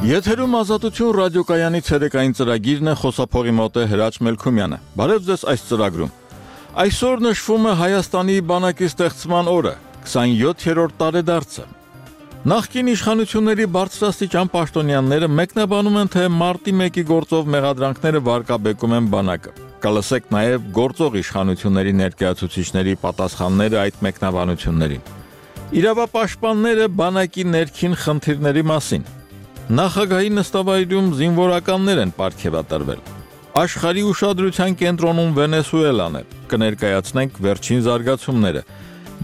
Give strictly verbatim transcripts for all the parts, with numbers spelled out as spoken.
Եթերում ազատություն ռադիոկայանի ցերեկային ծրագիրն է, խոսափողի մոտ է Հրաչ Մելքումյանը։ Բարև ձեզ այս ծրագրում։ Այսօր նշվում է Հայաստանի բանակի ստեղծման օրը, քսանյոթերորդ տարեդարձը։ Նախկին իշխանությունների բարձրաստիճան պաշտոնյաները մեկնաբանում են, թե մարտի մեկի գործով մեղադրանքները վարկաբեկում են բանակը։ Կլսեք նաև գործող իշխանությունների ներկայացուցիչների պատասխանները այդ մեկնաբանություններին։ Իրավապաշտպանները բանակի ներքին խնդիրների մասին։ Նախագահի նստավայրում զինվորականներ են պարգևատրվել։ Աշխարհի ուշադրության կենտրոնում Վենեսուելան է։ Կներկայացնենք վերջին զարգացումները։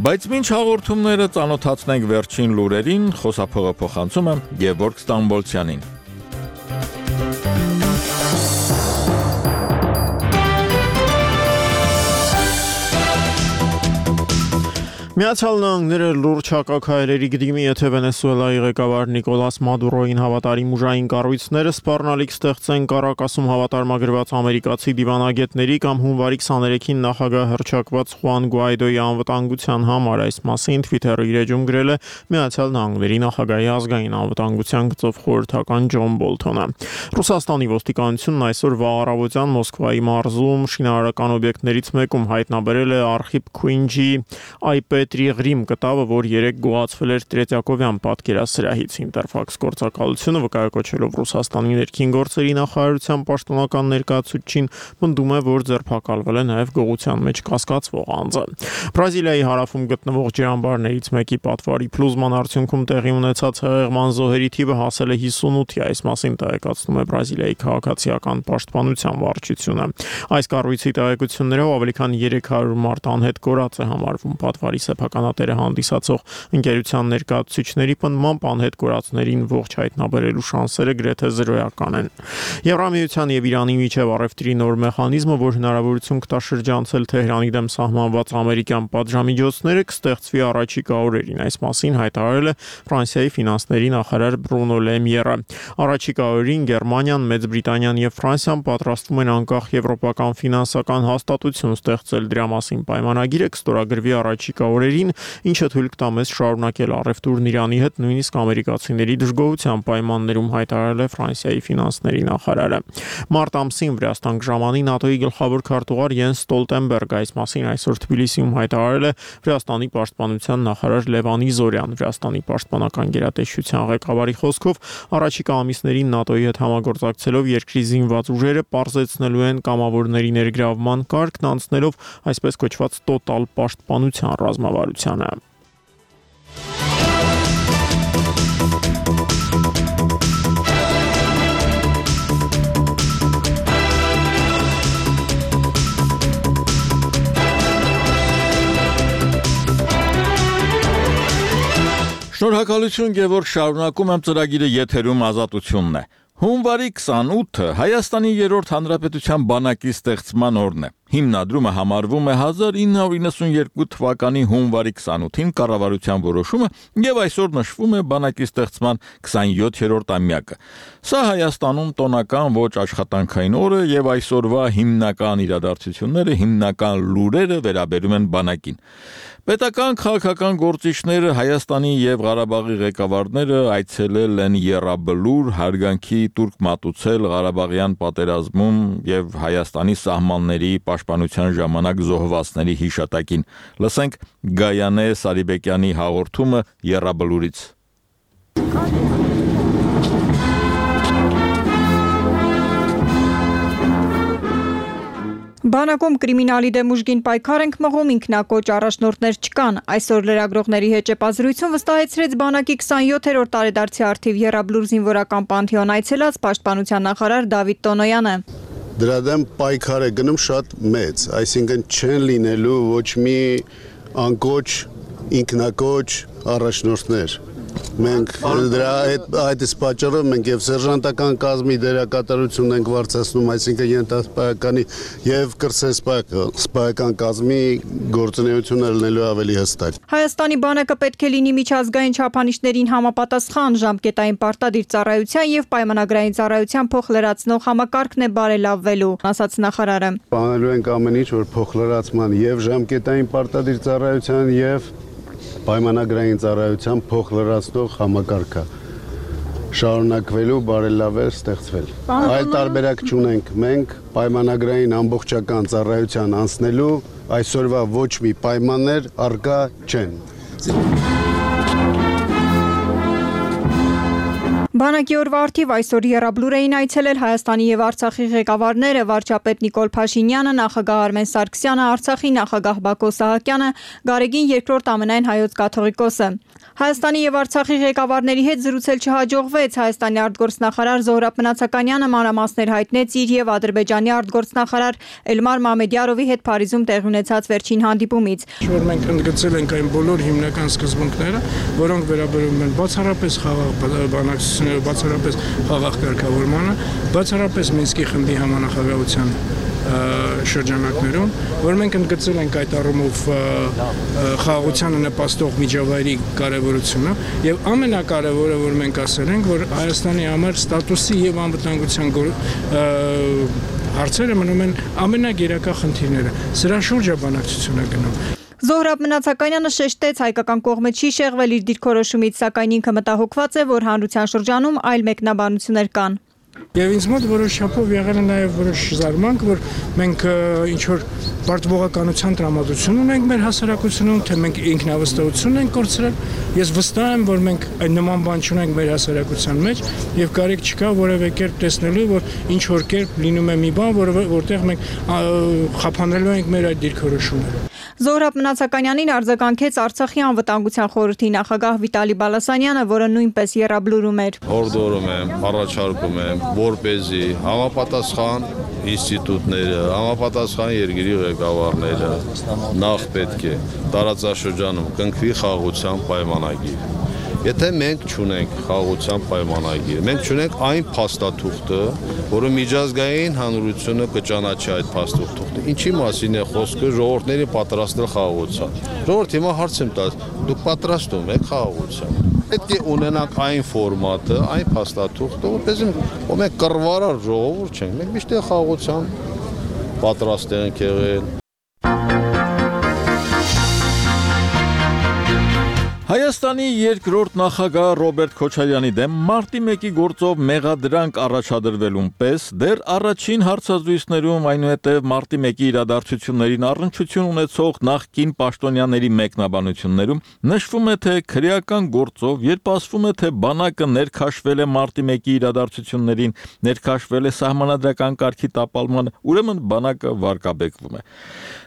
Բայց մինչ հաղորդումները ծանոթացնենք վերջին լուրերին, խոսափողը փոխանցում եմ Գևորգ Ստամբոլցյանին։ Միացյալ Նահանգները լուրջ հակաքայլերի գդիմի, եթե Վենեսուելայի ղեկավար Նիկոլաս Մադուրոյին հավատարիմ ուժային կառույցները սպառնալիք ստեղծեն Կարակասում հավատարմագրված ամերիկացի դիվանագետների կամ հունվարի քսաներեքին նախագահ հռչակված Խուան Գուայդոյի անվտանգության համար, այս մասին Twitter-ի իր էջում գրել է Միացյալ Նահանգների նախագահի ազգային անվտանգության գծով խորհրդական Ջոն Բոլթոնը։ Ռուսաստանի ոստիկանությունն այսօր վաղ առավոտյան Մոսկվայի մարզում շինարարական օբյեկտներից մեկում հայտնաբերել է Արխիպ Քուինջի այ Տրիղրիմ կտավը, որ երեկ գողացվել էր Տրետյակովյան պատկերասրահից։ Ինտերֆաքս գործակալությունը վկայակոչելով Ռուսաստանի ներքին գործերի նախարարության պաշտոնական ներկայացուցչին պնդում է, որ ձերբակալվել է նաև գողության մեջ կասկածվող անձը։ Բրազիլիայի հարավում գտնվող ջրամբարներից մեկի պատվարի փլուզման արդյունքում տեղի ունեցած հեղեղման զոհերի թիվը հասել է հիսունութի, այս մասին տեղեկացնում է Բրազիլիայի քաղաքացիական պաշտպանության վարչությունը։ Այս կառույցի տեղեկություններով ավելի քան երեք հարյուր մարդ անհետ կորած է համարվում։ Պատվարի սեփականատերը հանդիսացող ընկերության ներկայացուցիչների պնդմամբ անհետ կորածներին ողջ հայտնաբերելու շանսերը գրեթե զրոյական են։ Եվրամիության եւ Իրանի միջև առևտրի նոր մեխանիզմը, որ հնարավորություն կտա շրջանցել Թեհրանի դեմ սահմանված ամերիկյան պատժամիջոցները, կստեղծվի առաջիկա օրերին, այս մասին հայտարարել է Ֆրանսիայի ֆինանսների նախարար Բրունո Լեմիերը։ Առաջիկա օրերին Գերմանիան, Մեծ Բրիտանիան եւ Ֆրանսիան պատրաստվում են անկախ եվրոպական ֆինանսական հաստատություն ստեղծել, դրա մասին պայմանագիրը կստորագրվի առաջիկա օրերին, ինչը թույլ կտա մեզ շարունակել առևտուրն Իրանի հետ, նույնիսկ ամերիկացիների դժգոհության պայմաններում, հայտարարել է Ֆրանսիայի ֆինանսների նախարարը։ Մարտ ամսին Վրաստան կժամանի ՆԱՏՕ-ի գլխավոր քարտուղար Յենս Ստոլտենբերգը, այս մասին այսօր Թբիլիսիում հայտարարել է Վրաստանի պաշտպանության նախարար Լևան Իզորյան։ Վրաստանի պաշտպանական գերատեսչության ղեկավարի խոսքով առաջիկա ամիսներին ՆԱՏՕ-ի հետ համագործակցելով երկրի զինված ուժերը պարզեցնելու են կամավորների ներգրավման կարգն, անցնելով այսպես կոչված տոտալ պաշտպանության ռազմավարությանը։ Շնորհակալություն Գևորգ, շարունակում եմ ծրագիրը, եթերում ազատությունն է։ Հունվարի քսանութը Հայաստանի երրորդ հանրապետության բանակի ստեղծման օրն է։ Հիմնադրումը համարվում է հազար ինը հարյուր իննսունյերկու թվականի հունվարի քսանութին կառավարության որոշումը եւ այսօր նշվում է բանակի ստեղծման քսանյոթերորդ ամյակը։ Սա Հայաստանում տոնական ոչ աշխատանքային օր է եւ այսօրվա հիմնական իրադարձությունները, հիմնական լուրերը վերաբերում են բանակին։ Պետական քաղաքական գործիչները, Հայաստանի եւ Ղարաբաղի ղեկավարները այցելել են Եռաբլուր, հարգանքի տուրք մատուցել Ղարաբաղյան պատերազմում եւ Հայաստանի սահմանների պաշտպանության ժամանակ զոհվածների հիշատակին։ Լսենք Գայանե Սարիբեկյանի հաղորդումը Եռաբլուրից։ Բանակում կրիմինալի դեմ ուժգին պայքար ենք մղում, ինքնակոչ առաջնորդներ չկան։ Այսօր լրագրողների հետ ճեպազրույցում վստահեցրեց բանակի քսանյոթերորդ տարեդարձի առթիվ Եռաբլուր զինվորական պանթեոն այցելած պաշտպանության նախարար Դավիթ Տոնոյանը։ Դրա դեմ պայքար է գնում շատ մեծ, այսինքն չեն լինելու ոչ մի անկոչ, ինքնակոչ առաջնորդներ։ Մենք դրա այդ պատճառով մենք եւ սերժանտական կազմի դերակատարությունն ենք վարձացնում, այսինքն ենթասպայականի եւ կրսեսպայական կազմի գործունեությունը լինելու ավելի հստակ։ Հայաստանի բանակը պետք է լինի միջազգային չափանիշներին համապատասխան, ժամկետային պարտադիր ծառայության եւ պայմանագրային ծառայության փոխլրացնող համակարգն է բարելավվելու, ասաց նախարարը։ Բանալու ենք ամեն ինչ, որ փոխլրացման եւ ժամկետային պարտադիր ծառայության եւ պայմանագրային ծառայության փոխլրացնող համակարգը։ շարունակվելու, բարելավել, ստեղծվել։ Այլ տարբերակ չունենք մենք պայմանագրային ամբողջական ծառայության անցնելու այսօրվա ոչ մի պայմաններ առկա չեն։ Բանակի օրվա արդիվ այսօր եռաբլուր էին այցելել Հայաստանի եւ Արցախի ղեկավարները վարչապետ Նիկոլ Փաշինյանը, նախագահ Արմեն Սարգսյանը, Արցախի նախագահ Բակո Սահակյանը, Գարեգին երկրորդ ամենայն հայոց կաթողիկոսը։ Հայաստանի եւ Արցախի ղեկավարների հետ զրուցել չհաջողվեց։ Հայաստանի արտգործնախարար Զոհրաբ Մնացականյանը մանրամասներ հայտնեց իր եւ Ադրբեջանի արտգործնախարար Էլմար Մամեդյարովի հետ Փարիզում տեղի ունեցած վերջին հանդիպումից։ Որ մենք ընդգծել ենք այն բոլոր հիմնական սկզբունքները, որոնք վերաբերում են բացառապես խաղաղ բանակցությունները, բացառապես խաղաղ կարգավորմանը, բացառապես Մինսկի խմբի համանախագահության շրջանակներում, որ մենք ընդգծել ենք այդ առումով խաղաղությանը նպաստող միջավայրի կարևորությունը եւ ամենակարևորը, որ մենք ասել ենք, որ Հայաստանի համար ստատուսի եւ անվտանգության հարցերը մնում են ամենագերակա խնդիրները։ Սրա շուրջ է բանակցությունը գնում։ Զոհրաբ Մնացականյանը շեշտեց հայկական կողմը չի շեղվել իր դիրքորոշումից, սակայն ինքը մտահոգված է, որ հանրության շրջանում այլ մեկնաբանություններ կան։ Եվ ինձ մոտ որոշ չափով եղել է նաև որոշ զարմանք, որ մենք ինչ-որ պարտվողականության տրամադրություն ունենք մեր հասարակությունում, թե մենք ինքնավստահություն ենք կորցրել։ Ես վստահ եմ, որ մենք այն նման բան չունենք մեր հասարակության մեջ եւ կարիք չկա որևէ կերպ տեսնելու, որ ինչ-որ կերպ լինում է մի բան, որ որտեղ մենք խափանելու ենք մեր այդ դիրքորոշումները։ Զոհրաբ Մնացականյանին արձագանքեց Արցախի անվտանգության խորհրդի նախագահ Վիտալի Բալասանյանը, որը նույնպես եռաբլուրում էր։ Հորդորում եմ, առաջարկում եմ, որպեսզի համապատասխան ինստիտուտները, համապատասխան երկրի ղեկավարները նախ պետք է տարածաշրջանում կնքվի խաղաղության պայմանագիր։ Եթե մենք չունենք խաղաղության պայմանագիր, մենք չունենք այն փաստաթուղթը, որը միջազգային հանրությունը կճանաչի այդ փաստաթուղթը։ Ինչի մասին է խոսքը ժողովուրդների պատրաստել խաղաղության։ Ժողովուրդ հիմա հարց եմ տալիս, դուք պատրաստում եք խաղաղության։ Պետք է ունենանք այն ֆորմատը, այն փաստաթուղթը, որպեսզի մենք կռվարար ժողովուրդ չենք, մենք միշտ խաղաղության պատրաստ ենք եղել։ Հայաստանի երկրորդ նախագահ Ռոբերտ Քոչարյանի դեմ մարտի մեկի գործով մեղադրանք առաջադրվելուն պես դեռ առաջին հարցազրույցներում, այնուհետև մարտի մեկի իրադարձություններին առնչություն ունեցող նախկին պաշտոնյաների մեկնաբանություններում նշվում է, թե քրեական գործով, երբ ասվում է, թե բանակը ներքաշվել է մարտի մեկի իրադարձություններին, ներքաշվել է սահմանադրական կարգի տապալմանը, ուրեմն բանակը վարկաբեկվում է։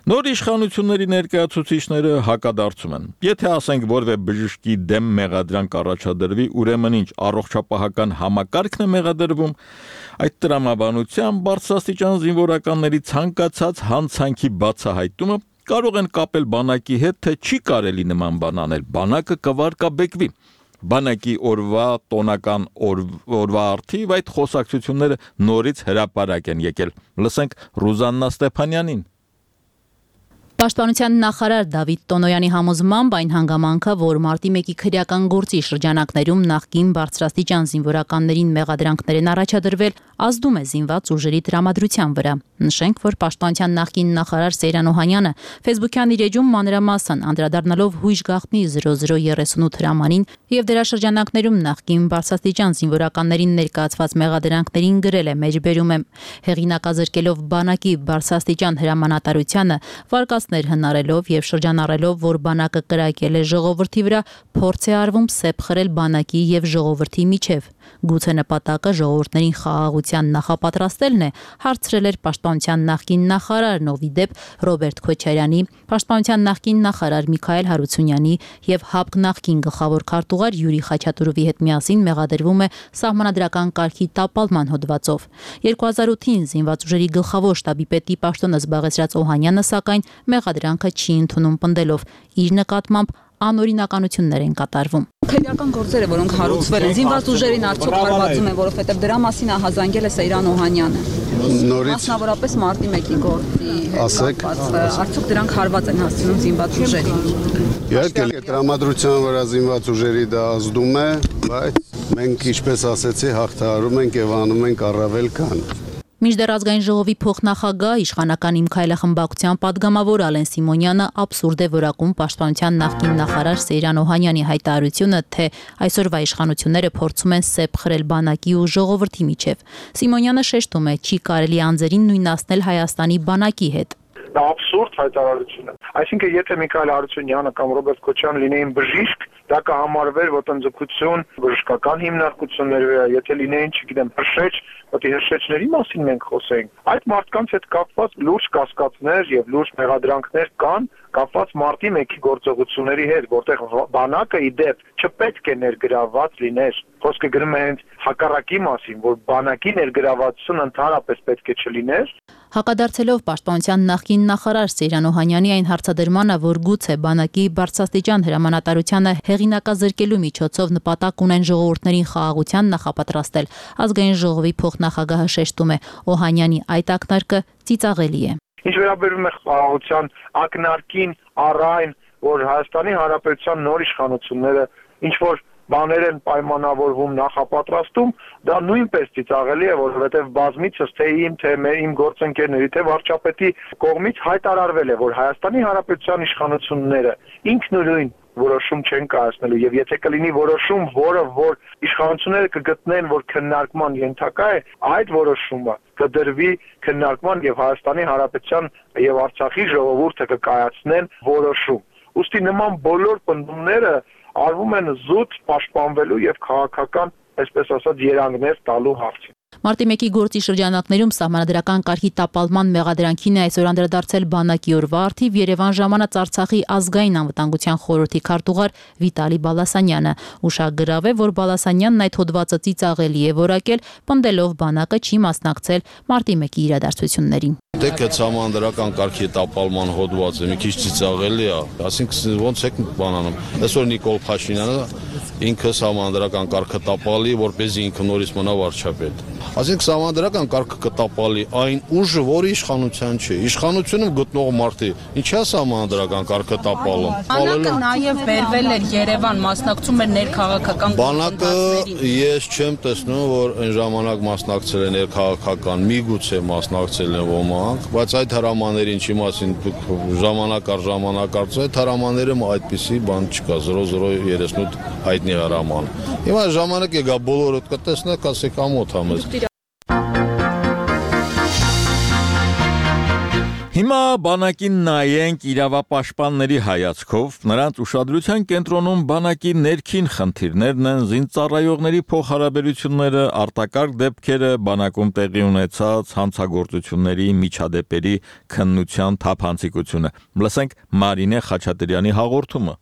Նոր իշխանությունների ներկայացուցիչները հակադարձում են։ Եթե ասենք որևէ բժշկի դեմ մեղադրանք առաջադրվի, ուրեմն ինչ առողջապահական համակարգն է մեղադրվում, այդ տրամաբանությամբ բարձրաստիճան զինվորականների ցանկացած հանցանքի բացահայտումը կարող են կապել բանակի հետ, թե չի կարելի նման բան անել, բանակը կվարկաբեկվի։ Բանակի օրվա տոնական օրվա արդիվ այդ խոսակցությունները նորից հրապարակ են եկել։ Լսենք Ռուզաննա Ստեփանյանին։ Պաշտպանության նախարար Դավիթ Տոնոյանի համոզմամբ այն հանգամանքը, որ մարտի մեկի քրեական գործի շրջանակներում նախկին բարձրաստիճան զինվորականներին մեղադրանքներ են առաջադրվել, ազդում է զինված ուժերի տրամադրության վրա։ Նշենք, որ Պաշտպանության նախկին նախարար Սեյրան Օհանյանը Facebook-յան իր էջում մանրամասն անդրադառնալով հույժ գաղտնի զրո զրո երեսունութ հրամանին եւ դրա շրջանակներում նախկին բարձրաստիճան զինվորականներին ներկայացված մեղադրանքներին գրել է մեջբերում եմ հեղինակազրկելով բանակի բարձրաստիճան հրամանատարությանը վարկած հնարելով եւ շրջանառելով, որ բանակը կրակել է ժողովրդի վրա, փորձ է արվում սեպ խրել բանակի եւ ժողովրդի միջև։ Գուցե նպատակը ժողովուրդներին խաղաղության նախապատրաստելն է, հարցրել էր Պաշտպանության նախկին նախարարն, ով ի դեպ Ռոբերտ Քոչարյանի, Պաշտպանության նախկին նախարար Միքայել Հարությունյանի եւ ՀԱՊԿ նախկին գլխավոր քարտուղար Յուրի Խաչատուրովի հետ միասին մեղադրվում է սահմանադրական կարգի տապալման հոդվածով։ երկու հազար ութին զինված ուժերի գլխավոր շտաբի պետի պաշտոնը զբաղեցրած Օհանյանը, սակայն մեղադրանքը չի ընդունում պնդելով իր նկատմամբ անօրինականություններ են կատարվում։ Քրեական գործերը, որոնք հարուցվել են, զինված ուժերին արդյոք հարվածում են, որովհետև դրա մասին ահազանգել է Սեյրան Օհանյանը։ Նորից մասնավորապես մարտի մեկի գործի հետ կապված, արդյոք դրանք հարված են հասցնում զինված ուժերին։ Իհարկե, տրամադրության վրա զինված ուժերի դա ազդում է, բայց մենք, ինչպես ասեցի, հաղթահարում ենք եւ անում ենք առավել քան։ Մինչդեռ ազգային ժողովի փոխնախագահ իշխանական Իմ քայլը խմբակցության падգամավոր Ալեն Սիմոնյանը абսուրդ է որակում պաշտպանության նախկին նախարար Սեյրան Օհանյանի հայտարարությունը, թե այսօրվա իշխանությունները փորձում են սեպ խրել բանակի ու ժողովրդի միջև։ Սիմոնյանը շեշտում է, չի կարելի անձերին նույնացնել Հայաստանի բանակի հետ։ Դա абսուրդ հայտարարություն է։ Այսինքն, եթե Միքայել Հարությունյանը կամ Ռոբերտ Քոչյանը լինեին բժիշկ, դա կհամարվեր ոտնձգություն, բժշկական հիմնարկություններ, եթե լինեին, չգիտեմ, հրշեջ, որտեղ հրշեջների մասին մենք խոսենք։ Այդ մարդկանց հետ կապված լուրջ կասկածներ եւ լուրջ մեղադրանքներ կան, կապված մարտի մեկի գործողությունների հետ, որտեղ բանակը իդեպ չպետք է ներգրավված լիներ։ Խոսքը գրում է հենց հակառակի մասին, որ բանակի ներգրավվածությունը ընդհանրապես պետք է չլիներ։ Հակադարձելով պաշտպանության նախկին նախարար Սեյրան Օհանյանի այն հարցադրմանը, որ գուցե բանակի բարձրաստիճան հրամանատարությանը հեղինակազրկելու միջոցով նպատակ ունեն ժողովուրդներին խաղաղության նախապատրաստել, ազգային ժողովի փոխնախագահը շեշտում է, Օհանյանի այդ ակնարկը ծիծաղելի է։ Ինչ վերաբերում է խաղաղության ակնարկին առայն, որ Հայաստանի Հանրապետության նոր իշխանությունները ինչ որ բաներ են պայմանավորվում նախապատրաստում, դա նույնպես ծիծաղելի է, որովհետև բազմիցս թե իմ, թե իմ գործընկերների, թե վարչապետի կողմից հայտարարվել է, որ Հայաստանի Հանրապետության իշխանությունները ինքնուրույն որոշում չեն կայացնելու եւ եթե կլինի որոշում, որը որ իշխանությունները կգտնեն, որ քննարկման ենթակա է, այդ որոշումը կդրվի քննարկման եւ Հայաստանի Հանրապետության եւ Արցախի ժողովուրդը կկայացնեն որոշում։ Ուստի նման բոլոր պնդումները արվում են զուտ պաշտպանվելու եւ քաղաքական, այսպես ասած, երանգներ տալու հարցին։ Մարտի մեկի գործի շրջանակներում սահմանադրական կարգի տապալման մեղադրանքին է այսօր անդրադարձել բանակի օրվա առթիվ Երևան ժամանած Արցախի ազգային անվտանգության խորհրդի քարտուղար Վիտալի Բալասանյանը։ Ուշագրավ է, որ Բալասանյանն այդ հոդվածը ծիծաղելի է որակել, պնդելով բանակը չի մասնակցել մարտի մեկի իրադարձություններին։ Դեք այդ սահմանադրական կարգի տապալման հոդվածը մի քիչ ծիծաղելի է, ասինքն ոնց եք բանանում։ Այսօր Նիկոլ Փաշինյանը ինքը սահմանադրական կարգը տապալի, որպեսզի ինքը նորից մնա վարչապետ։ Այսինքն սահմանադրական կարգը կտապալի այն ուժը, որը իշխանության չի։ Իշխանությունում գտնող մարդի ինչա սահմանադրական կարգը տապալում։ Բանակը նաև վերվել էր Երևան, մասնակցում էր ներքաղաքական Բանակը ես չեմ տեսնում, որ այն ժամանակ մասնակցել է ներքաղաքական, միգուցե մասնակցել են ոմանք, բայց այդ հրամաներին չի մասին ժամանակ առ ժամանակ արծու այդ հրամաներում այդպիսի բան չկա, զրո զրո երեսնութ հայտնի հրաման։ Հիմա ժամանակ է գա բոլորը կտեսնեք, ասեք ամոթ համես։ Հիմա բանակին նայենք իրավապաշտպանների հայացքով, նրանց ուշադրության կենտրոնում բանակի ներքին խնդիրներն են, զինծառայողների փոխհարաբերությունները, արտակարգ դեպքերը, բանակում տեղի ունեցած հանցագործությունների միջադեպերի քննության թափանցիկությունը։ Լսենք Մարինե Խաչատրյանի հաղորդումը։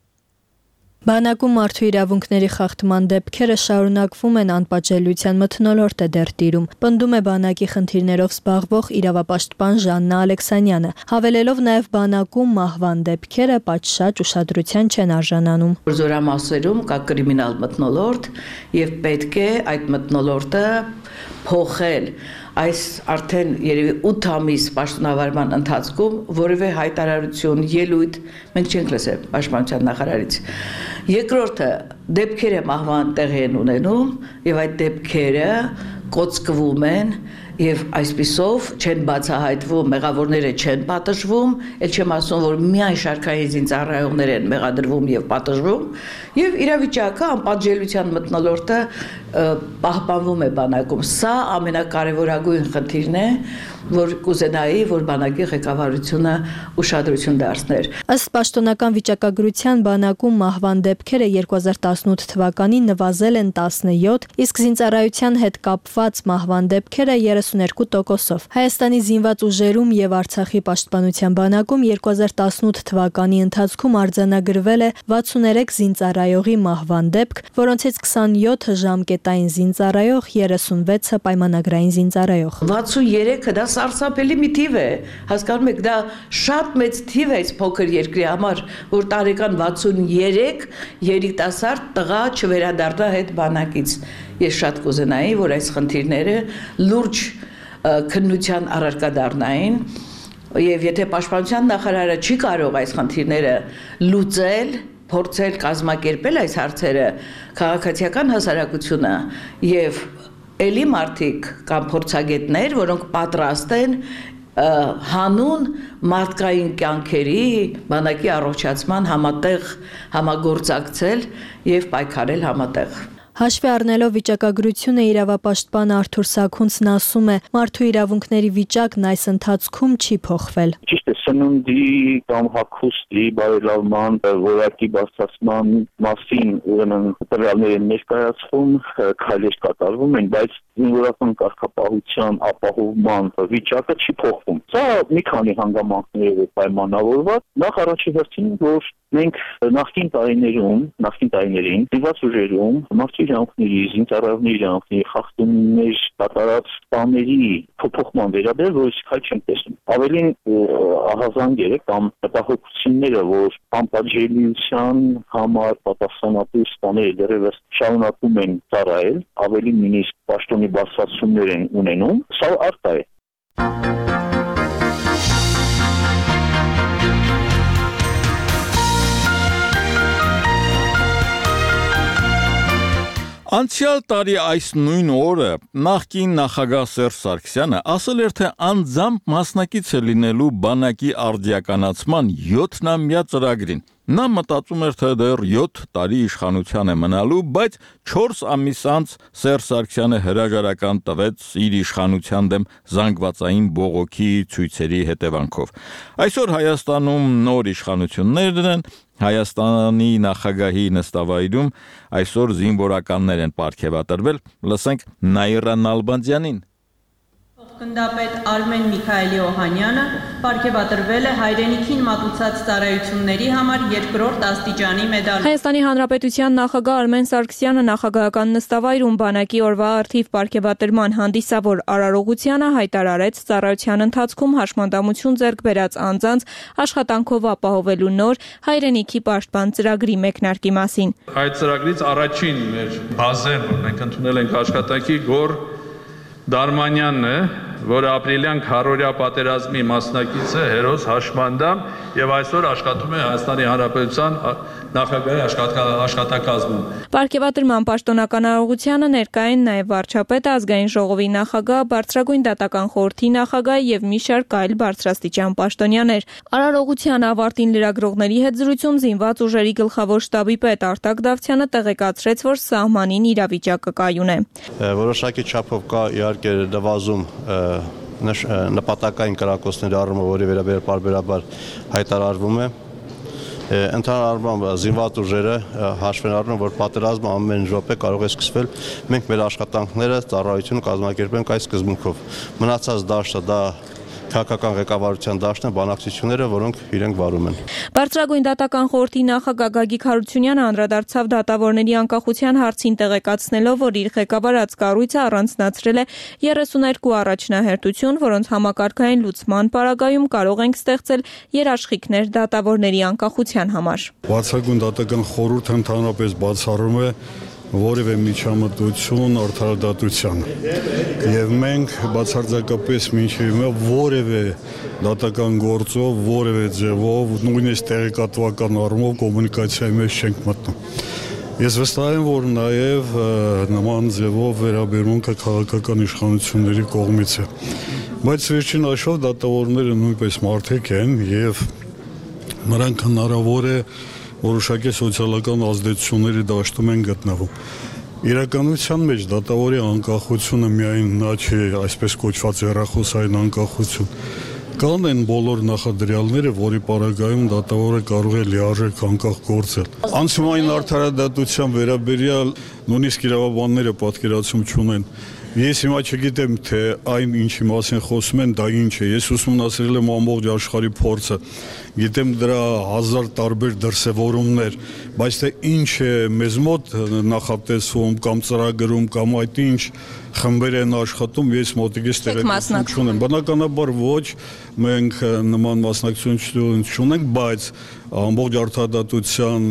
Բանակում մարդու իրավունքների խախտման դեպքերը շարունակվում են, անպատժելիության մթնոլորտ է դեռ տիրում, պնդում է բանակի խնդիրներով զբաղվող իրավապաշտպան Ժաննա Ալեքսանյանը, հավելելով նաև բանակում մահվան դեպքերը պատշաճ ուշադրության չեն արժանանում։ Զորամասերում կա կրիմինալ մթնոլորտ եւ պետք է այդ մթնոլորտը փոխել։ Այս արդեն երևի ութ ամիս պաշտոնավարման ընթացքում որևէ հայտարարություն, ելույթ մենք չենք լսել պաշտպանության նախարարից։ Երկրորդը դեպքերը մահվան տեղի են ունենում եւ այդ դեպքերը կոծկվում են եւ այսպիսով չեն բացահայտվում, մեղավորները չեն պատժվում, ել չեմ ասում, որ միայն շարքային զինծառայողներ են մեղադրվում եւ պատժվում, եւ իրավիճակը անպատժելիության մթնոլորտը պահպանվում է բանակում։ Սա ամենակարևորագույն խնդիրն է, որ կուզենայի, որ բանակի ղեկավարությունը ուշադրություն դարձներ։ Ըստ պաշտոնական վիճակագրության բանակում մահվան դեպքերը երկու հազար տասնութ թվականին նվազել են տասնյոթ, իսկ զինծառայության հետ կապված մահվան դեպքերը երեսուներկու տոկոսով։ Հայաստանի զինված ուժերում եւ Արցախի պաշտպանության բանակում երկու հազար տասնութ թվականի ընթացքում արձանագրվել է վաթսուներեք զինծառայողի մահվան դեպք, որոնցից քսանյոթը ժամկետային զինծառայող, երեսունվեցը պայմանագրային զինծառայող։ վաթսուներեքը դա սարսափելի մի թիվ է, հասկանում եք, դա շատ մեծ թիվ է այս փոքր երկրի համար, որ տարեկան վաթսուներեք երիտասարդ տղա չվերադառնա հետ բանակից։ Ես շատ կուզենայի, որ այս խնդիրները լուրջ քննության առարկա դառնային, եւ եթե պաշտպանության նախարարը չի կարող այս խնդիրները լուծել, փորձել կազմակերպել այս հարցերը, քաղաքացիական հասարակությունը եւ էլի մարդիկ կամ փորձագետներ, որոնք պատրաստ են հանուն մարդկային կյանքերի բանակի առողջացման համատեղ համագործակցել եւ պայքարել համատեղ։ Հաշվի առնելով վիճակագրությունը իրավապաշտպան Արթուր Սաքունցն ասում է, մարդու իրավունքների վիճակն այս ընթացքում չի փոխվել։ Ճիշտ է, սննդի կամ հագուստի բարելավման որակի բարձրացման մասին ուրեմն տվյալների ներկայացում քայլեր կատարվում են, բայց զինվորական կարգապահության ապահովման վիճակը չի փոխվում։ Սա մի քանի հանգամանքներով է պայմանավորված։ Նախ առաջի հերթին, որ մենք նախկին տարիներում, նախկին տարիներին զինված ուժերում մարդու իրավունքների, զինծառայողների իրավունքների խախտումներ կատարած բաների փոփոխման վերաբերյալ որոշ քայլ չենք տեսնում։ Ավելին ահազանգերը կամ հետախուզությունները, որ անպատժելիության համար պատասխանատու սպաները դեռևս շարունակում են ծառայել, ավելի նույնիսկ պաշտոնի բարձրացումներ են ունենում, սա առկա է։ Անցյալ տարի այս նույն օրը նախկին նախագահ Սերժ Սարգսյանը ասել էր, թե անձամբ մասնակից է լինելու բանակի արդիականացման յոթնամյա ծրագրին։ Նա մտածում էր, թե դեռ յոթ տարի իշխանության է մնալու, բայց չորս ամիս անց Սերժ Սարգսյանը հրաժարական տվեց իր իշխանության դեմ զանգվածային բողոքի ցույցերի հետևանքով։ Այսօր Հայաստանում նոր իշխանություններ են, Հայաստանի նախագահի նստավայրում այսօր զինվորականներ են պարգևատրվել, լսենք Նաիրա Նալբանդյանին։ Գնդապետ Արմեն Միքայելի Օհանյանը պարգևատրվել է հայրենիքին մատուցած ծառայությունների համար երկրորդ աստիճանի մեդալով։ Հայաստանի Հանրապետության նախագահ Արմեն Սարգսյանը նախագահական նստավայրում բանակի օրվա առթիվ պարգևատրման հանդիսավոր արարողությանը հայտարարեց ծառայության ընթացքում հաշմանդամություն ձեռք բերած անձանց աշխատանքով ապահովելու նոր հայրենիքի պաշտպան ծրագրի մեկնարկի մասին։ Այդ ծրագրից առաջին մեր բազեն, որ մենք ընդունել ենք աշխատանքի, Գոր Դարմանյանն է, որը ապրիլյան քառօրյա պատերազմի մասնակից է, հերոս հաշմանդամ եւ այսօր աշխատում է Հայաստանի Հանրապետության նախագահի աշխատակազմում։ Պարգևատրման պաշտոնական արարողությանը ներկա են նաեւ վարչապետը, ազգային ժողովի նախագահ, բարձրագույն դատական խորհրդի նախագահ եւ մի շարք այլ բարձրաստիճան պաշտոնյաներ։ Արարողության ավարտին լրագրողների հետ զրույցում զինված ուժերի գլխավոր շտաբի պետ Արտակ Դավթյանը տեղեկացրեց, որ սահմանին իրավիճակը կայուն է։ Որոշակի չափով կա իհարկե նվազում նպատակային կրակոցների առումով, որի վերաբերյալ պարբերաբար հայտարարվում է։ Ընդհանուր առմամբ զինված ուժերը հաշվեն առնում, որ պատերազմը ամեն րոպե կարող է սկսվել, մենք մեր աշխատանքները, ծառայությունը կազմակերպենք այս սկզբունքով։ Մնացած դաշտը դա քաղաքական ղեկավարության դաշտն է, բանակցությունները, որոնք իրենք վարում են։ Բարձրագույն դատական խորհրդի նախագահ Գագիկ Հարությունյանը անդրադարձավ դատավորների անկախության հարցին, տեղեկացնելով, որ իր ղեկավարած կառույցը առանձնացրել է երեսուներկու առաջնահերթություն, որոնց համակարգային լուծման պարագայում կարող ենք ստեղծել երաշխիքներ դատավորների անկախության համար։ Բարձրագույն դատական խորհուրդը ընդհանրապես բացառում է որևէ միջամտություն արդարադատության եւ մենք բացարձակապես մինչեւ հիմա որևէ դատական գործով, որևէ ձևով, նույնիսկ տեղեկատվական առումով կոմունիկացիայի մեջ չենք մտնում։ Ես վստահ եմ, որ նաեւ նման ձևով վերաբերմունքը քաղաքական իշխանությունների կողմից է, բայց վերջին աշխով դատավորները նույնպես մարդիկ են եւ նրանք հնարավոր է որոշակի սոցիալական ազդեցությունների դաշտում են գտնվում։ Իրականության մեջ դատավորի անկախությունը միայն նա չէ, այսպես կոչված հեռախոսային անկախություն։ Կան են բոլոր նախադրյալները, որի պարագայում դատավորը կարող է լիարժեք անկախ գործել։ Անցումային արդարադատության վերաբերյալ նույնիսկ իրավաբանները պատկերացում չունեն։ Ես հիմա չգիտեմ, թե այն ինչի մասին խոսում են, դա ինչ է։ Ես ուսումնասիրել եմ ամբողջ աշխարհի փորձը, գիտեմ դրա հազար տարբեր դրսևորումներ, բայց թե ինչ է մեզ մոտ նախատեսվում կամ ծրագրում կամ այդ ինչ խմբեր են աշխատում, ես մոտիկից տեղեկատվություն չունեմ։ Բնականաբար ոչ, մենք նման մասնակցություն չունենք, բայց ամբողջ արդարադատության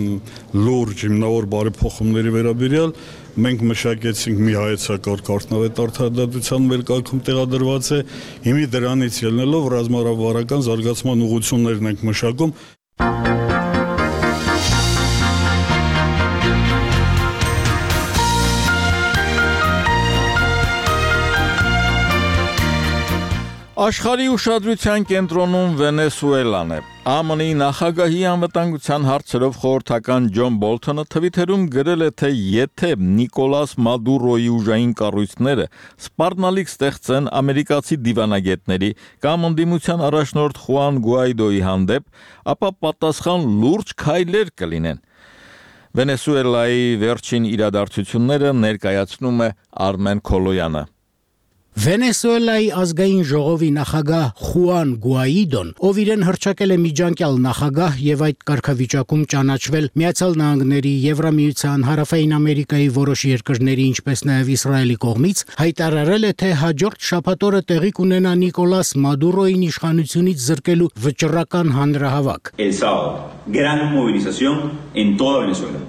լուրջ հիմնավոր բարեփոխումների վերաբերյալ մենք մշակեցինք մի հայեցակարգ արդյունավետ արդարադատության մեր կարգում տեղադրված է, հիմի դրանից ելնելով ռազմավարական զարգացման ուղղություններն ենք մշակում։ Աշխարհի ուշադրության կենտրոնում Վենեսուելան է։ Է Մ Ն-ի նախագահի անվտանգության հարցերով խորհրդական Ջոն Բոլթոնը Թվիթերում գրել է, թե եթե Նիկոլաս Մադուրոյի ուժային կառույցները սպառնալիք ստեղծեն ամերիկացի դիվանագետների կամ ընդդիմության առաջնորդ Խուան Գուայդոյի հանդեպ, ապա պատասխան լուրջ քայլեր կլինեն։ Վենեսուելայի վերջին իրադարձությունները ներկայացնում է Արմեն Քոլոյանը։ Վենեսուելայի ազգային ժողովի նախագահ Խուան Գուայդոն, ով իրեն հռչակել է միջանկյալ նախագահ եւ այդ կարգավիճակում ճանաչվել Միացյալ Նահանգների, Եվրամիության, Հարավային Ամերիկայի որոշ երկրների, ինչպես նաեւ Իսրայելի կողմից, հայտարարել է, թե հաջորդ շաբաթօրը տեղի կունենա Նիկոլաս Մադուրոյին իշխանությունից զրկելու վճռական հանրահավաք։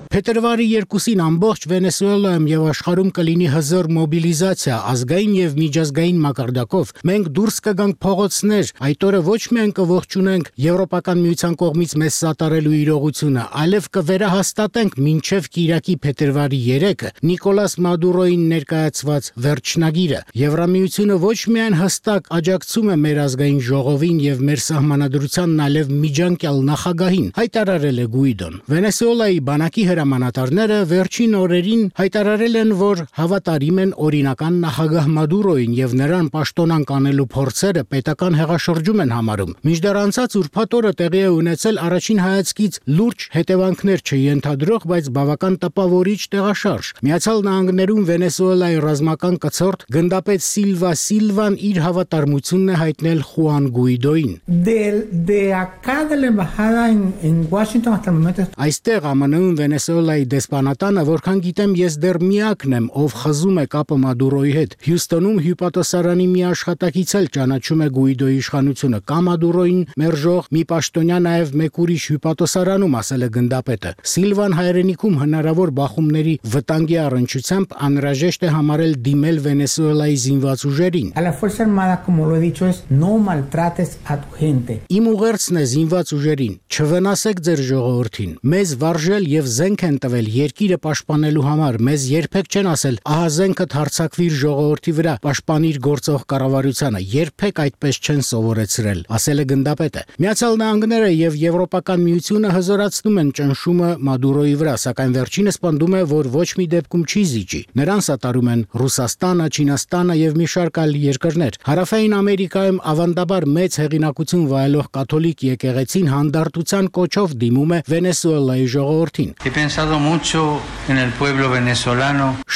Փետրվարի երկուսին ամբողջ Վենեսուելայում եւ աշխարհում կլինի հզոր մոբիլիզացիա ազգային եւ միջազգային մակարդակով։ Մենք դուրս կգանք փողոցներ, այդ օրը ոչ միայն կողջունենք Եվրոպական միության կողմից մեզ սատարելու իրողությունը, այլև կվերահաստատենք մինչև կիրակի փետրվարի երեքը Նիկոլաս Մադուրոյին ներկայացված վերջնագիրը։ Եվրամիությունը ոչ միայն հստակ աջակցում է մեր ազգային ժողովին եւ մեր սահմանադրությանն, այլև միջանկյալ նախագահին, հայտարարել է Գուիդոն։ Վենեսուելայի բանակի հրամանատարները վերջին օրերին հայտարարել են, որ հավատարիմ են օրինական նախագահ Մադուրոյին եւ նրան պաշտոնանկ անելու փորձերը պետական հեղաշրջում են համարում։ Մինչդեռ անցած ուրբաթ օրը տեղի է ունեցել առաջին հայացքից լուրջ հետևանքներ չենթադրող, բայց բավական տպավորիչ տեղաշարժ։ Միացյալ Նահանգներում Վենեսուելայի ռազմական կցորդ գնդապետ Սիլվա Սիլվան իր հավատարմությունն է հայտնել Խուան Գուիդոյին։ Այստեղ Ա Մ Ն-ում Վենեսուելայի դեսպանատանը, որքան գիտեմ, ես դեռ միակն եմ, ով խզում է կապը Մադուրոյի հետ։ Հյուստոնում հյուպատոսարանի մի աշխատակից էլ ճանաչում է Գուիդոյի իշխանությունը կամ Մադուրոյին մերժող մի պաշտոնյա, նաև մեկ ուրիշ հյուպատոսարանում, ասել է գնդապետը։ Սիլվան հայրենիքում հնարավոր բախումների վտանգի առնչությամբ անհրաժեշտ է համարել դիմել Վենեսուելայի զինված ուժերին։ Իմ ուղերձն է զինված ուժերին, չվնասեք ձեր ժողովրդին։ Մեզ վարժել եւ զենք են տվել երկիրը պաշտպանելու համար։ Մեզ երբեք չեն ասել ահա զենքդ հարձակվիր ժողովրդի վրա, պաշտպանիր գործող կառավարությանը։ Երբեք այդպես չեն սովորեցրել, ասել է գնդապետը։ Միացյալ Նահանգները եւ Եվրոպական միությունը հզորացնում են ճնշումը Մադուրոյի վրա, սակայն վերջինս պնդում է, որ ոչ մի դեպքում չի զիջի։ Նրան սատարում են Ռուսաստանը, Չինաստանը եւ մի շարք այլ երկրներ։ Հարավային Ամերիկայում ավանդաբար մեծ հեղինակություն վայելող կաթոլիկ եկեղեցին հանդարտության կոչով դիմում է Վենեսուելայի ժողովրդին։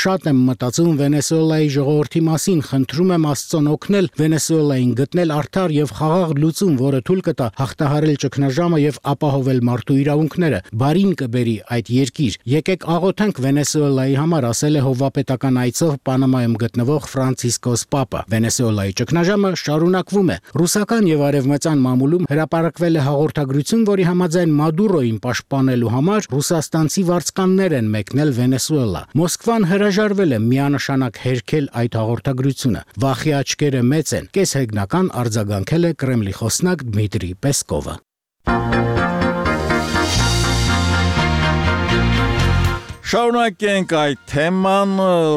Շատ եմ մտածում Վենեսուելայի ժողովրդի մասին, խնդրում եմ Աստծուն օգնել Վենեսուելային գտնել արդար եւ խաղաղ լուծում, որը թույլ կտա հաղթահարել ճգնաժամը եւ ապահովել մարդու իրավունքները։ Բարին կբերի այդ երկիր։ Եկեք աղոթենք Վենեսուելայի համար, ասել է հովվապետական այցով Պանամայում գտնվող Ֆրանցիսկոս Պապը։ Վենեսուելայի ճգնաժամը շարունակվում է։ Ռուսական եւ արևմտյան մամուլում հրապարակվել է հաղորդագրություն, որի համաձայն Մադուրոյին պաշտպանելու համար ռուսաստանցի վարձկաններ են մեկնել Վենեսուելա։ Մոսկվան հրաժարվել է միանշանակ հերքել այդ հաղորդագրությունը։ Վախի աչքերը մեծ են, կեսհեգնական արձագանքել է Կրեմլի խոսնակ Դմիտրի Պեսկովը։ Շարունակենք այդ թեման։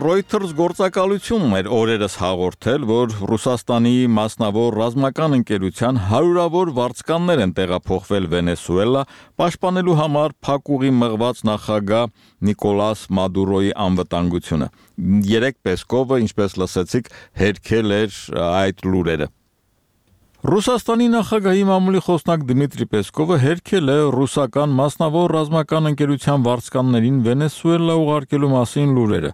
Reuters գործակալությունն էր օրերս հաղորդել, որ Ռուսաստանի մասնավոր ռազմական ընկերության հարյուրավոր վարձկաններ են տեղափոխվել Վենեսուելա, պաշտպանելու համար փակուղի մղված նախագահ Նիկոլաս Մադուրոյի անվտանգությունը։ Երեք Պեսկովը, ինչպես լսեցիք, հերքել էր այդ լուրերը։ Ռուսաստանի նախագահի մամուլի խոսնակ Դմիտրի Պեսկովը հերքել է ռուսական մասնավոր ռազմական ընկերության վարձկաններին Վենեսուելա ուղարկելու մասին լուրերը։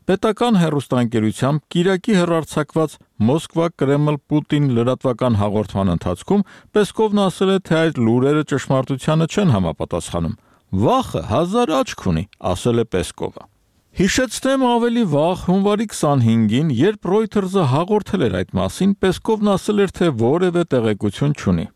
Պետական հեռուստաընկերությամբ Կիրակի հեռարձակված Մոսկվա-Կրեմլ-Պուտին լրատվական հաղորդման ընթացքում Պեսկովն ասել է, թե այդ լուրերը ճշմարտությանը չեն համապատասխանում։ Վախը հազար աչք ունի, ասել է Պեսկովը։ Հիշեցնեմ ավելի վաղ հունվարի քսանհինգին, երբ Reuters-ը հաղորդել էր այդ մասին, Պեսկովն ասել էր, թե որևէ տեղեկություն չունի։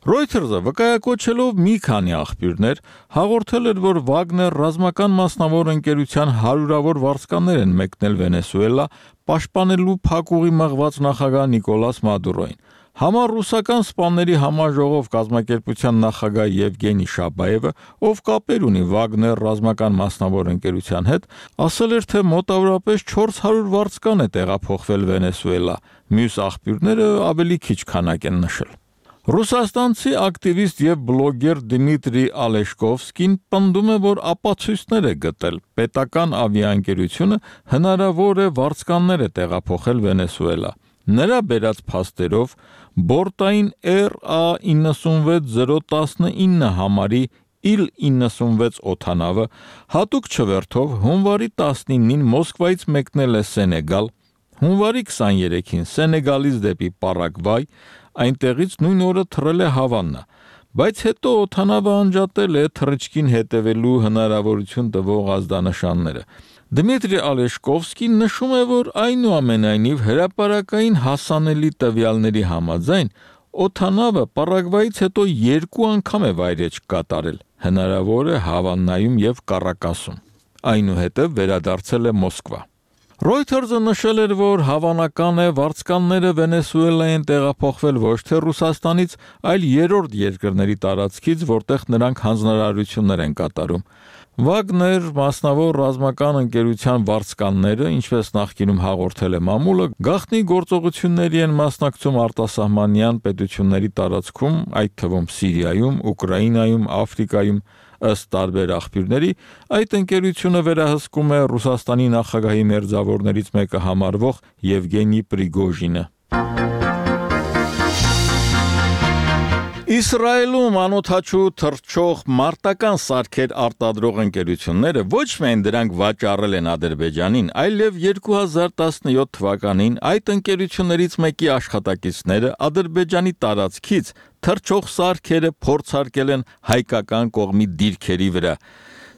Reuters-ը վկայակոչելով մի քանի աղբյուրներ հաղորդել էր, որ Վագներ ռազմական մասնավոր ընկերության հարյուրավոր վարձկաններ են մեկնել Վենեսուելա, պաշտպանելու փակուղի մղված նախագահ Նիկոլաս Մադուրոյին։ Համար ռուսական սպաների համաժողով կազմակերպության նախագահ Եվգենի Շաբաևը, ով կապեր ունի Վագներ ռազմական մասնավոր ընկերության հետ, ասել էր, թե մոտավորապես չորս հարյուր վարձկան է տեղափոխվել Վենեսուելա, մյուս աղբյուրները ավելի քիչ քանակ են նշել։ Ռուսաստանցի ակտիվիստ եւ բլոգեր Դմիտրի Ալեշկովսկին պնդում է, որ ապացույցներ է գտել պետական ավիաընկերությունը հնարավոր է վարձկաններ է տեղափոխել Վենեսուելա։ Նրա բերած փաստերով բորտային R A նինety վեց zero one nine համարի իլ նինety վեց օդանավը հատուկ չվերթով հունվարի տասնինին Մոսկվայից մեկնել է Սենեգալ, հունվարի քսաներեքին Սենեգալից դեպի Պարագվայ, այնտեղից նույն օրը թռել է Հավաննա, բայց հետո օդանավը անջատել է թռիչքին հետևելու հնարավորություն տվող ազդանշանները։ Դմիտրի Ալեշկովսկին նշում է, որ այնուամենայնիվ հրապարակային հասանելի տվյալների համաձայն օդանավը Պարագվայից հետո երկու անգամ է վայրեջք կատարել, հնարավոր է Հավաննայում եւ Կարակասում, այնուհետև վերադարձել է Մոսկվա։ Reuters-ը նշել էր, որ հավանական է վարձկանները Վենեսուելա են տեղափոխվել ոչ թե Ռուսաստանից, այլ երրորդ երկրների տարածքից, որտեղ նրանք հանձնարարություններ են կատարում։ Վագներ մասնավոր ռազմական ընկերության վարձկանները, ինչպես նախկինում հաղորդել է մամուլը, գաղտնի գործողությունների են մասնակցում արտասահմանյան պետությունների տարածքում, այդ թվում Սիրիայում, Ուկրաինայում, Աֆրիկայում, ըստ տարբեր աղբյուրների, այդ ընկերությունը վերահսկում է Ռուսաստանի նախագահի մերձավորներից մեկը համարվող Եվգենի Պրիգոժինը։ Իսրայելում անօթաչու թռչող մարտական սարքեր արտադրող ընկերությունները ոչ միայն դրանք վաճառել են Ադրբեջանին, այլև երկու հազար տասնյոթ թվականին այդ ընկերություններից մեկի աշխատակիցները Ադրբեջանի տարածքից թռչող սարքերը փորձարկել են հայկական կողմի դիրքերի վրա։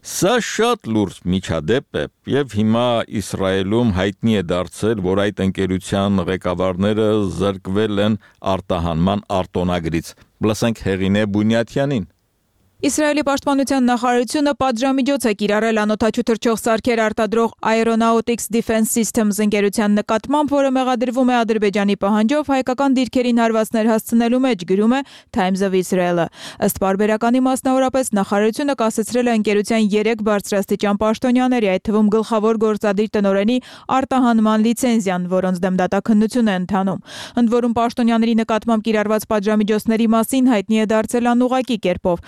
Սա շատ լուրջ միջադեպ է եւ հիմա Իսրայելում հայտնի է դարձել, որ այդ ընկերության ղեկավարները զրկվել են արտահանման արտոնագրից։ Լսենք Հեղինե Բունյաթյանին։ Իսրայելի պաշտպանության նախարարությունը պատժամիջոց է կիրառել անօթաչու թռչող սարքեր արտադրող Aeronautics Defense Systems ընկերության նկատմամբ, որը մեղադրվում է Ադրբեջանի պահանջով հայկական դիրքերին հարվածներ հասցնելու մեջ, գրում է Times of Israel-ը։ Ըստ պարբերականի մասնավորապես նախարարությունը կասեցրել է ընկերության երեք բարձրաստիճան պաշտոնյաների, այդ թվում գլխավոր գործադիր տնօրենի արտահանման լիցենզիան, որոնց դեմ դատաքննություն է ընթանում։ Ընդ որում պաշտոնյաների նկատմամբ կիրառված պատժամիջոցների մասին հայտնի է դարձել անուղղակի կերպով։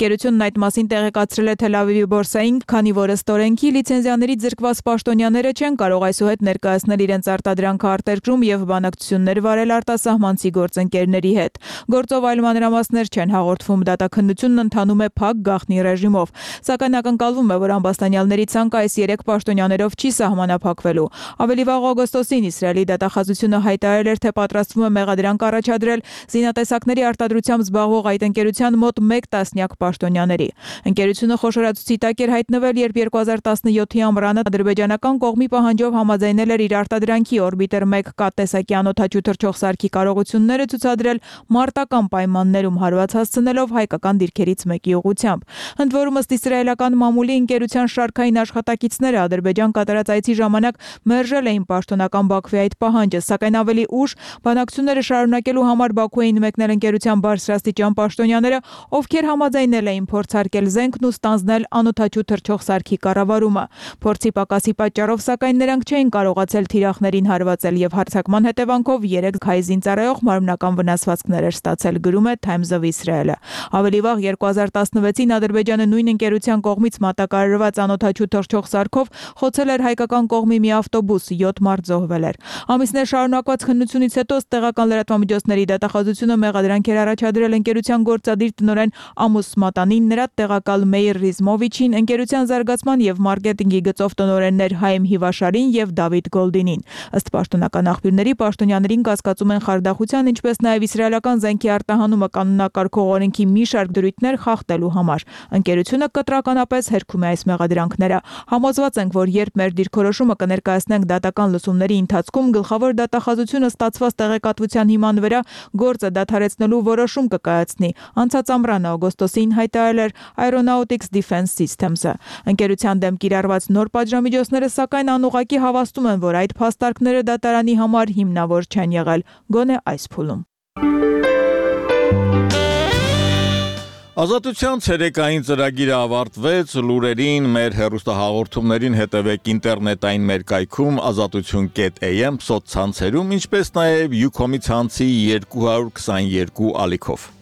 Ընկերությունն այդ մասին տեղեկացրել է Թել Ավիվի բորսային, քանի որ ըստ օրենքի լիցենզիաներից զրկված պաշտոնյաները չեն կարող այսուհետ ներկայացնել իրենց արտադրանքը արտերկրում եւ բանակցություններ վարել արտասահմանցի գործընկերների հետ։ Գործով այլ մանրամասներ չեն հաղորդվում, դատաքննությունն ընթանում է փակ գաղտնի ռեժիմով, սակայն ակնկալվում է, որ ամբաստանյալների ցանկը այս երեք պաշտոնյաներով չի սահմանափակվելու։ Ավելի վաղ օգոստոսին Իսրայելի դատախազությունը հայտարարել էր, թե պատրաստվում է մեղադրանք առաջադրել զինատեսակների արտադրությամբ զբաղվող այդ ընկերության մոտ մեկ տասնյակ պաշտոնյաների։ Ընկերությունը խոշորացուցի տակ էր հայտնվել, երբ երկու հազար տասնյոթի ամռանը ադրբեջանական կողմի պահանջով համաձայնել էր իր արտադրանքի օրբիտեր մեկ K տեսակի անօթաչու թռչող սարքի կարողությունները ցուցադրել մարտական պայմաններում հարված հասցնելով հայկական դիրքերից մեկի ուղղությամբ։ Ընդ որում ըստ իսրայելական մամուլի ընկերության շարքային աշխատակիցները Ադրբեջան կատարած այցի ժամանակ մերժել էին պաշտոնական Բաքվի այդ պահանջը, սակայն ավելի ուշ բանակցությունները շարունակելու համար Բաքու էին մեկնել ընկերության բարձրաստիճան պաշտոնյաները, ովքեր համաձայնել էին փորձարկել զենքն ու ստանձնել անօթաչու թռչող սարքի կառավարումը։ Փորձի պակասի պատճառով սակայն նրանք չէին կարողացել թիրախներին հարվածել եւ հարձակման հետևանքով երեք հայ զինծառայող մարմնական վնասվածքներ էր ստացել, գրում է Times of Israel-ը։ Ավելի վաղ երկու հազար տասնվեցին Ադրբեջանը նույն ընկերության կողմից մատակարարված անօթաչու թռչող սարքով խոցել էր հայկական կողմի մի ավտոբուս, յոթ մարդ զոհվել էր։ Ամիսներ շարունակված քննությունից հետո տեղական լրատվամիջոցների դատախազությունը մեղադրանք էր առաջադրել ընկերության գործադիր տնօրեն Ամուս Մատանին, նրա տեղակալ Մեյր Ռիզմովիչին, ընկերության զարգացման եւ մարքեթինգի գծով տնօրեններ Հայմ Հիվաշարին եւ Դավիթ Գոլդինին։ Ըստ պաշտոնական աղբյուրների պաշտոնյաներին կասկածում են խարդախության, ինչպես նաեւ իսրայելական զենքի արտահանումը կանոնակարգող օրենքի մի շարք դրույթներ խախտելու համար։ Ընկերությունը կտրականապես հերքում է այս մեղադրանքները։ Համոզված ենք, որ երբ մեր դիրքորոշումը կներկայացնենք դատական լսումների ընթացքում, գլխավոր դատախազությունը ստացված տեղեկատվության հիման վրա գործը դադարեցնելու որոշում կկայացնի։ Անցած ամռանը օգոստոսին հայտարարել էր Aeronautics Defense Systems-ը։ Ընկերության դեմ կիրառված նոր պատժամիջոցները սակայն անուղղակի հավաստում են, որ այդ փաստարկները դատարանի համար հիմնավոր չեն եղել, գոնե այս փուլում։ Ազատության ցերեկային ծրագիրը ավարտվեց, լուրերին, մեր հեռուստահաղորդումներին հետևեք ինտերնետային մեր կայքում ազատություն կետ էյ էմ սոցցանցերում, ինչպես նաև Յուքոմի ցանցի երկու հարյուր քսաներկու ալիքով։